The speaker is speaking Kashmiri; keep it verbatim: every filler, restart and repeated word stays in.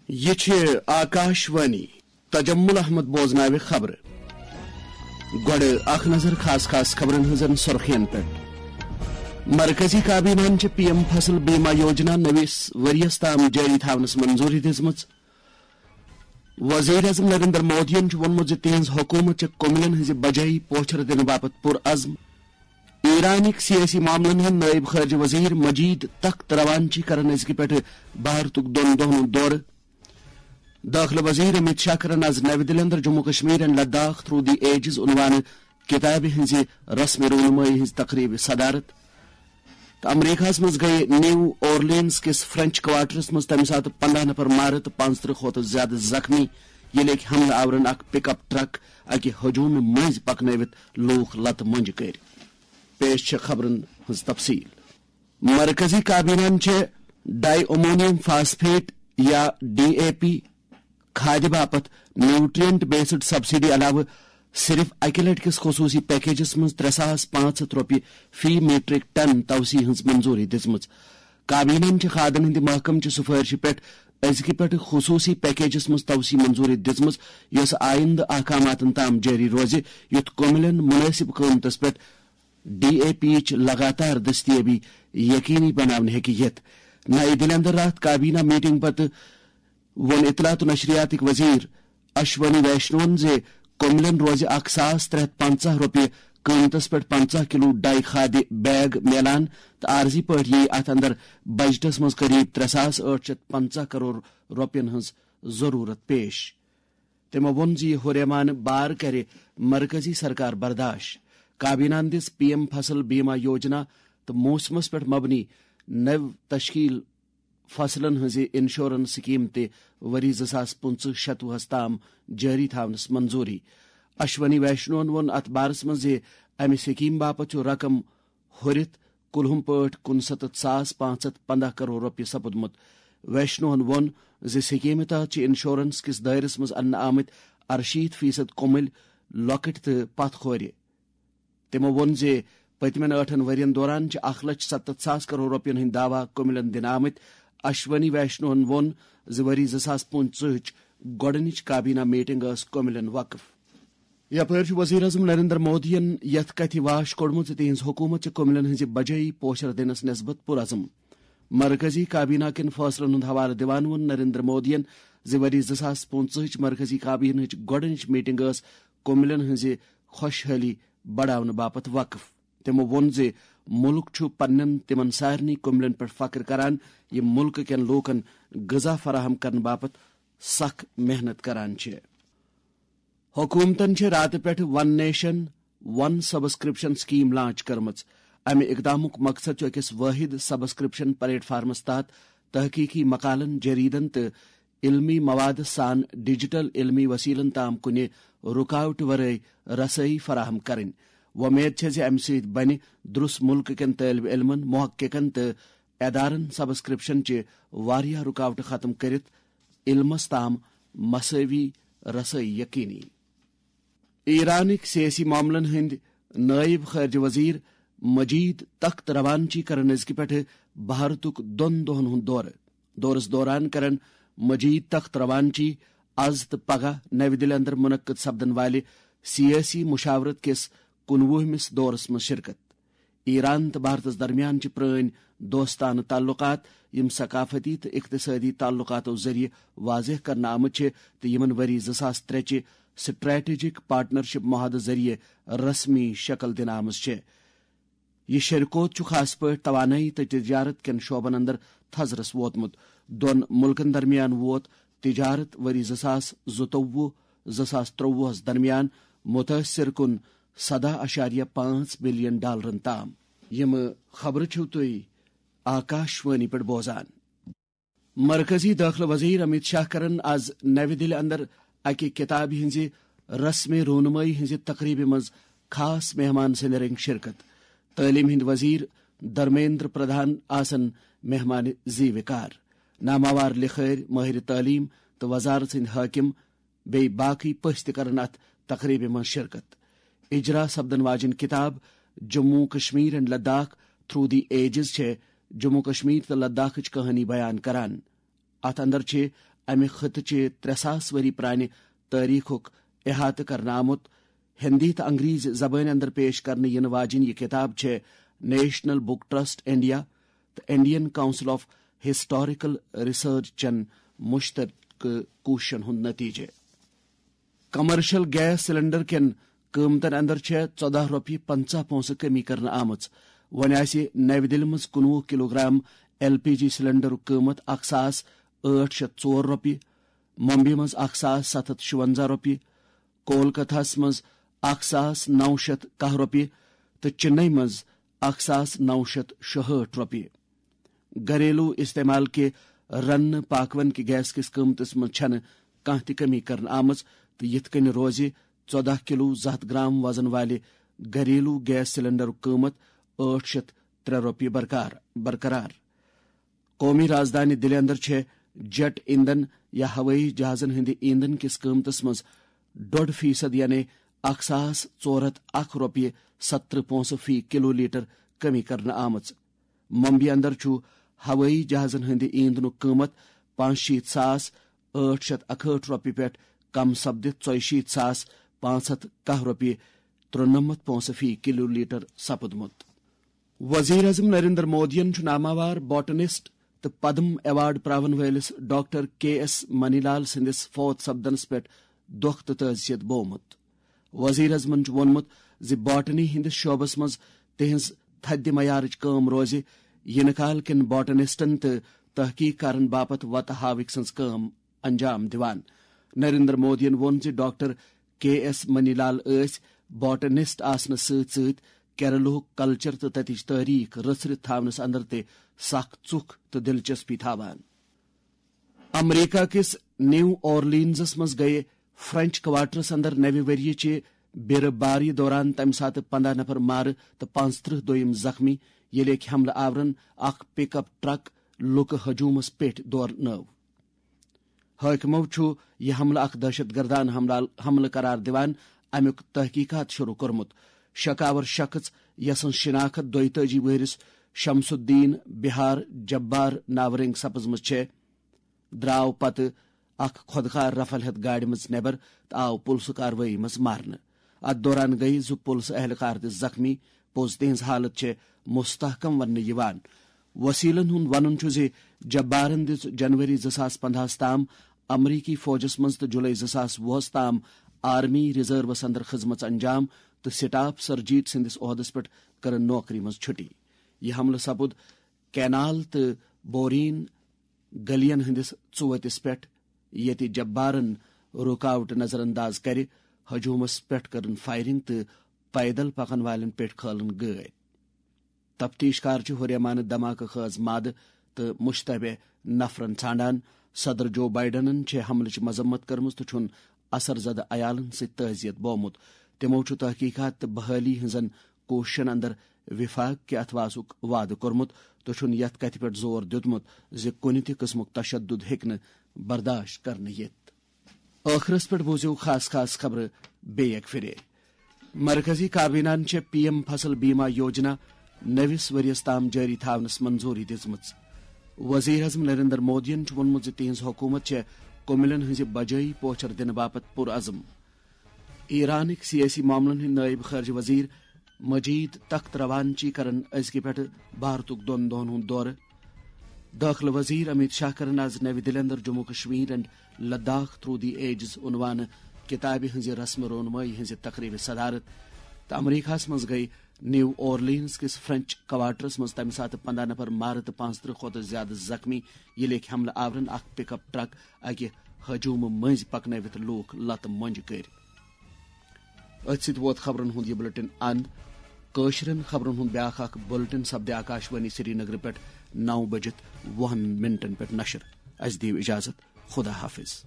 یہِ چھِ آکاش وانی۔ تجمل احمد بوزناوِ خبرٕ۔ گۄڈٕ اکھ نظر خاص خاص خبرن ہٕنٛزن سُرخین پٮ۪ٹھ۔ مرکزی کابینہن چھِ پی ایم فصل بیمہ یوجنا نٔوِس ؤرۍ یَس تام جٲری تھاونس منظوٗری دِژمٕژ۔ وزیر اعظم نریندر مودیَن چھُ ووٚنمُت زِ تِہنٛز حکوٗمت چھِ کٔمِلٮ۪ن ہٕنٛزِ بجٲیی پوچھر دِنہٕ باپتھ پُرعزم۔ ایرانٕکۍ سیٲسی معاملن ہٕنٛدۍ نٲیِب خارجہ وزیر مجید تخت روانچی کرن أزکہِ پٮ۪ٹھٕ بھارتُک دۄن دۄہن ہُنٛد دورٕ۔ دٲخلہٕ وزیر امیت شاہ کرن از نَوِ دِلہِ اندر Jammu Kashmir and Ladakh through the ages عنوانہٕ کتابہِ ہٕنٛزِ رسمِ رونمٲیی ہٕنٛز تقریبہِ صدارت۔ تہٕ امریکہس منٛز گٔیہِ نیو اورلینز کِس فرنچ کوارٹرس منٛز تمہِ ساتہٕ پنداہ نفر مارٕ تہٕ پانٛژترٕہ کھۄتہٕ زیادٕ زخمی، ییٚلہِ أکۍ حملہٕ آورن اکھ پک اپ ٹرک اکہِ ہجومہِ مٔنٛزۍ پکنٲوِتھ لوٗکھ لتہٕ مۄنجہِ کٔرۍ۔ پیش چھےٚ خبرن ہٕنٛز تفصیل۔ مرکزی کابینہن چھِ ڈائی امونیم فاسفیٹ یا ڈی اے پی کھادِ باپتھ نیوٹرینٹ بیسڈ سبسڈی علاوٕ صرف اکہِ لٹہِ کِس خصوصی پیکیجس منٛز ترٛےٚ ساس پانٛژھ ہتھ رۄپیہِ فی میٹرک ٹن توسیع ہٕنٛز منظوٗری دِژمٕژ۔ کابینہن چھِ کھادن ہٕنٛدِ محکمہٕ چہِ سفٲرشہِ پٮ۪ٹھ أزکہِ پٮ۪ٹھ خصوصی پیکیجس منٛز توسیع منظوٗری دِژمٕژ، یۄسہٕ آیندٕ احکاماتن تام جٲری روزِ، یُتھ کٔمِلٮ۪ن مُنٲسِب قۭمتس پٮ۪ٹھ ڈی اے پی یِچ لگاتار دٔستیٲبی یقینی بناونہٕ ہیٚکہِ یِتھ۔ نَیہِ دِلہِ اندر راتھ کابینہ میٹنگ پتہٕ ووٚن اطلاعات و نشریاتٕکۍ وزیر اشونی ویشنون زِ کٔمِلٮ۪ن روزِ اکھ ساس ترٛےٚ ہتھ پنٛژاہ رۄپیہِ قۭمتس پٮ۪ٹھ پنٛژاہ کلو ڈائی کھادِ بیگ میلان تہٕ عارضی پٲٹھۍ یِیہِ اتھ اندر بجٹس منٛز قریب ترٛےٚ ساس ٲٹھ شتھ پنٛژاہ کرور رۄپین ہٕنٛز ضروٗرت پیش۔ تٔمۍ ووٚن زِ یہِ ہُریمانہٕ بار کرِ مرکزی سرکار برداش۔ کابینہن دِژ پی ایم فصل بیمہ یوجنا تہٕ موسمس پٮ۪ٹھ مبنی نٔو تشکیل فصلن ہٕنٛزِ انشورنس سکیم تہِ ؤری زٕ ساس پٕنٛژٕہ شتوُہس تام جٲری تھاونس منظوٗری۔ اشونی ویشنون ووٚن اتھ بارس منٛز زِ امہِ سکیم باپتھ چھُ رقم ہُرِتھ کُلہُم پٲٹھۍ کُنسَتتھ ساس پانٛژھ ہتھ پنٛداہ کرور رۄپیہِ سپُدمُت۔ ویشنوہن ووٚن زِ سکیمہِ تحت چھِ انشورنس کِس دٲیرس منٛز اننہٕ آمٕتۍ ارشیٖتھ فیصد کُمٕلۍ لۄکٕٹۍ تہٕ پتھ کھورِ۔ تِمو ووٚن زِ پٔتمٮ۪ن ٲٹھن ؤرین دوران چھِ اکھ لچھ ستتھ ساس کرور رۄپین ہٕنٛدۍ دعویٰ کُمِلٮ۪ن دِنہٕ آمٕتۍ۔ اشونی ویشنوہن ووٚن زِ ؤری زٕ ساس پٕنٛژٕہٕچ گۄڈٕنِچ کابینہ میٹنگ ٲس کُمِلٮ۪ن وقف۔ یپٲرۍ چھُ وزیر اعظم نریندر مودیَن یَتھ کتھِ واش کوٚڑمُت زِ تِہنٛز حکوٗمت چھِ کُمِلٮ۪ن ہٕنٛزِ بجٲیی پوچھر دِنس نسبت پُرعزم۔ مرکزی کابینہ کٮ۪ن فٲصلن ہُنٛد حوالہٕ دِوان ووٚن نریندر مودیَن زِ ؤری زٕ ساس پٕنٛژٕہٕچ مرکزی کابینہٕچ گۄڈٕنِچ میٹنگ ٲس کُمِلٮ۪ن ہٕنٛزِ خۄشحٲلی بڑاونہٕ باپتھ وقف۔ تِمو ووٚن زِ مُلک چھُ پننٮ۪ن تِمن سارنٕے کُمِلٮ۪ن پٮ۪ٹھ فخر کران، یِم مُلکہٕ کٮ۪ن لوٗکن غذا فراہم کرنہٕ باپتھ سخ محنت کران چھِ۔ حکوٗمتن چھِ راتہٕ پٮ۪ٹھ ون نیشن، ون سبسکرپشن سکیم لانچ کٔرمٕژ۔ امہِ اقدامُک مقصد چھُ أکِس وٲحد سبسکرپشن پلیٹ فارمس تحت تحقیقی مقالن، جریدن تہٕ علمی مواد سان ڈیجیٹل علمی وسیلن تام کُنہِ رکاوٹ ورٲے رسٲیی فراہم کرٕنۍ۔ وۄمید چھےٚ زِ امہِ سۭتۍ بنہِ درُس مُلکہٕ کٮ۪ن طٲلب علمن، محققن تہٕ ادارن سبسکرپشن چہِ واریاہ رکاوٹہٕ ختم کٔرِتھ علمس تام مساوی رسٲیی یقینی۔ ایرانٕکۍ سیٲسی معاملن ہٕنٛدۍ نٲیِب خارجہ وزیر مجید تخت روانچی کرن أزکہِ پٮ۪ٹھٕ بھارتُک دۄن دۄہن ہُنٛد دورٕ۔ دورس دوران کرن مجید تخت روانچی از تہٕ پگاہ نَوِ دِلہِ اندر منعقد سپدن والہِ سیٲسی مشاورت کِس کُنوُہمِس دورس منٛز شرکت۔ ایران تہٕ بھارتس درمیان چھِ پرٲنۍ دوستانہٕ تعلقات، یِم ثقافتی تہٕ اقتصٲدی تعلقاتو ذٔریعہٕ واضح کرنہٕ آمٕتۍ چھِ تہٕ یِمن ؤری زٕ ساس ترٛےٚ چہِ سٹریٹجک پارٹنرشپ معاہدٕ ذٔریعہٕ رسمی شکل دِنہٕ آمٕژ چھِ۔ یہِ شرکوت چھُ خاص پٲٹھۍ توانٲیی تہٕ تجارت کٮ۪ن شعبن اندر تھزرس ووتمُت۔ دۄن مُلکن درمیان ووت تجارت ؤری زٕ ساس زٕتووُہ، زٕ ساس ترٛووُہس درمیان متٲثر کُن سداہ اشاریہ پانٛژھ بلین ڈالرن تام۔ یِم خبرٕ چھِو تُہۍ آکاش وانی پٮ۪ٹھ بوزان۔ مرکزی دٲخلہٕ وزیر امیت شاہ کرن از نَوِ دِلہِ اندر اکہِ کتابہِ ہٕنزِ رسمِ رونمٲیی ہٕنزِ تقریبہِ منز خاص مہمان سٕندِ رنگہِ شرکت۔ تعلیمہِ ہٕندۍ وزیر دھرمیندر پردھان آسن مہمان زیوِ کار۔ ناماوار لکھٲرۍ، مٲہرِ تعلیٖم تہٕ وزارت سٕنٛدۍ حٲکِم بیٚیہِ باقٕے پٔژھۍ تہِ کرن اتھ تقریبہِ منٛز شرکت۔ اجرا سپدن واجیٚنۍ کتاب Jammu Kashmir and Ladakh through the ages چھےٚ جموں کشمیر تہٕ لداخٕچ کہانی بیان کران۔ اتھ اندر چھِ امہِ خطہٕ چہِ ترٛےٚ ساس ؤری پرانہِ تٲریخُک احاطہٕ کرنہٕ آمُت۔ ہندی تہٕ انگریزی زبٲنۍ اندر پیش کرنہٕ یِنہٕ واجیٚنۍ یہِ کتاب چھےٚ نیشنل بک ٹرسٹ انڈیا تہٕ Indian council of historical research چٮ۪ن مشترکہٕ کوٗششن ہُنٛد نتیجہٕ۔ کمرشل گیس سلنڈر کٮ۪ن قۭمتن اندر چھےٚ ژۄدہ رۄپیہِ پنژاہ پونٛسہٕ کمی کرنہٕ آمٕژ۔ وۄنۍ آسہِ نَوِ دِلہِ منٛز کُنوُہ کلوگرام ایل پی جی سلنڈرُک قۭمت اکھ ساس ٲٹھ شیٚتھ ژور رۄپیہِ، ممبئی منٛز اکھ ساس ستھ ہتھ شُونزہ رۄپیہِ، کولکتہس منٛز اکھ ساس نو شیٚتھ کاہ رۄپیہِ تہٕ چنئی منٛز اکھ ساس نو شیٚتھ شُہٲٹھ رۄپیہِ۔ گھریلو استعمال کہِ رننہٕ پاکوان کہِ گیس کِس قۭمتس منٛز چھنہٕ کانٛہہ تہِ کمی کرنہٕ آمٕژ تہٕ یِتھ کٔنۍ روزِ ژۄدہ کلو زٕ ہتھ گرام وزن والہِ گھریلو گیس سلنڈرُک قۭمت ٲٹھ شیٚتھ ترٛےٚ رۄپیہِ برقار برقرار۔ قومی رازدانہِ دِلہِ اندر چھےٚ جیٹ ایندھن یا ہوٲیی جہازن ہٕنٛدِ ایندھن کِس قۭمتس منٛز ڈوٚڈ فیصد، یعنی اکھ ساس ژور ہتھ اکھ رۄپیہِ ستترٕہ پونٛسہٕ فی کلو لیٹر کمی کرنہٕ آمٕژ۔ ممبئی اندر چھُ ہوٲیی جہازن ہٕنٛدِ ایندھنُک قۭمت پانٛژشیٖتھ ساس ٲٹھ شیٚتھ اکہٲٹھ رۄپیہِ پٮ۪ٹھ کم سپدِتھ ژۄیشیٖتھ ساس پانٛژھ ہتھ کاہ رۄپیہِ ترُنمتھ پونٛسہٕ فی کلو لیٹر سپُدمُت۔ وزیر اعظم نریندر مودیَن چھُ ناماوار باٹنسٹ تہٕ پدم ایوارڈ پراون وٲلِس ڈاکٹر کے ایس منی لال سٕنٛدِس فوت سپدنس پٮ۪ٹھ دۄکھ تہٕ تعزیت بوومُت۔ وزیر اعظمن چھُ ووٚنمُت زِ باٹنی ہٕنٛدِس شعبس منٛز تِہنٛز تھدِ معیارٕچ کٲم روزِ یِنہٕ کال کٮ۪ن باٹنسٹن تہٕ تحقیق کارن باپتھ وتہٕ ہاوٕکۍ سٕنٛز کٲم انجام دِوان۔ نریندر مودیَن ووٚن زِ ڈاکٹر کے ایس منی لال ٲسۍ باٹنسٹ آسنہٕ سۭتۍ سۭتۍ کیرلہُک کلچر تہٕ تتِچ تٲریخ رژھرِتھ تھاونس اندر تہِ سخ ژُکھ تہٕ دلچسپی تھاوان۔ امریکہ کِس نیو اورلینزس منٛز گٔیہِ فرنچ کوارٹرس اندر نوِ ؤریہِ چہِ بیرٕ باری دوران تمہِ ساتہٕ پنداہ نفر مارٕ تہٕ پانٛژترٕہ دوٚیم زخمی، ییٚلہِ أکۍ حملہٕ آورن اکھ پک اپ ٹرک لُکہٕ ہجومس پٮ۪ٹھ دورنٲو۔ حٲکمو چھُ یہِ حملہٕ اکھ دہشت گردانہٕ حملہٕ، حملہٕ قرار دِوان۔ امیُک تحقیقات شروع کوٚرمُت۔ شکاور شخص، یسٕنز شناخت دۄیتٲجی وُہرِس شمس الدین بہار جبار ناورنگ سپزمٕژ چھےٚ، درٛاو پتہٕ اکھ خۄدکار رفل ہٮ۪تھ گاڑِ منٛز نٮ۪بر تہٕ آو پُلسہٕ کاروٲیی منٛز مارنہٕ۔ اتھ دوران گٔیہِ زٕ پُلسہٕ اہلکار تہِ زخمی۔ پوٚز تِہنٛز حالت چھےٚ مستحکم وننہٕ یِوان۔ وسیلن ہُنٛد ونُن چھُ زِ جبارن دِژ جنوری زٕ ساس پندہس تام امریکی فوجس منٛز تہٕ جولائی زٕ ساس وُہس تام آرمی ریزروس اندر خدمژ انجام تہٕ سٹاف سرجیت سٕنٛدِس عہدس پٮ۪ٹھ کٔرٕن نوکری منٛز چھُٹی۔ یہِ حملہٕ سپُد کینال تہٕ بورین گلیَن ہٕنٛدِس ژُؤتِس پٮ۪ٹھ، ییٚتہِ جبارن رُکاوٹ نظر انداز کرِ، ہجومس پٮ۪ٹھ کٔرٕن فائرنگ تہٕ پیدل پکن والٮ۪ن پٮ۪ٹھ کھٲلٕن گٲڑۍ۔ تفتیش کار چھِ ہُریمانہٕ دھماکہٕ خٲز مادٕ تہٕ مشتبہ نفرن ژھانڈان۔ صدر جو بائیڈنن چھےٚ حملٕچ مذمت کٔرمٕژ تہٕ چھُن اثر زدٕ عیالن سۭتۍ تعزیت بوومُت۔ تِمو چھُ تحقیقات تہٕ بحالی ہٕنٛزن کوٗششن اندر وفاق کہِ اتھواسُک وعدٕ کوٚرمُت تہٕ چھُن یتھ کتھِ پٮ۪ٹھ زور دیُتمُت زِ کُنہِ تہِ قٕسمُک تشدد ہیٚکہِ نہٕ برداشت کرنہٕ یِتھ۔ ٲخرس پٮ۪ٹھ بوٗزِو خاص خاص خبرٕ بیٚیہِ اکہِ پھِرِ۔ مرکزی کابینہن چھےٚ پی ایم فصل بیمہ یوجنا نٔوِس ؤرِیَس تام جٲری تھاونس منظوٗری دِژمٕژ۔ وزیر اعظم نریندر مودیَن چھُ ووٚنمُت زِ تِہنٛز حکوٗمت چھےٚ کُمِلٮ۪ن ہٕنٛزِ بجٲیی پوچھر دِنہٕ باپتھ پُرعزم۔ ایرانٕکۍ سیٲسی معاملن ہٕنٛدۍ نٲیِب خارجہ وزیر مجید تخت روانچی کرن أزکہِ پٮ۪ٹھٕ بھارتُک دۄن دۄہن ہُنٛد دورٕ۔ دٲخلہٕ وزیر امیت شاہ کرن آز نَوِ دِلہِ اندر Jammu Kashmir and Ladakh through the ages عنوانہٕ کتابہِ ہٕنٛزِ رسم رونمٲیی ہٕنٛزِ تقریبہِ صدارت۔ تہٕ امریکہس منٛز گٔیہِ نیو اورلینز کِس فرنچ کوارٹرس منٛز تمہِ ساتہٕ پندہ نفر مارٕ تہٕ پانٛژترٕہ کھۄتہٕ زیادٕ زخمی، ییٚلہِ أکۍ حملہٕ آورن اکھ پک اپ ٹرک اکہِ ہجومہٕ مٔنٛزۍ پکنٲوِتھ لوٗکھ لتہٕ مۄنجہِ کٔرۍ۔ أتھۍ سۭتۍ ووت خبرن ہُنٛد یہِ بلیٹن اند۔ کٲشرٮ۪ن خبرن ہُنٛد بیاکھ اکھ بلیٹن سپدِ آکاش وانی سری نگر پٮ۪ٹھ نو بجِتھ وُہن منٹن پٮ۪ٹھ نشر۔ اسہِ دِیِو اجازت۔ خدا حافظ۔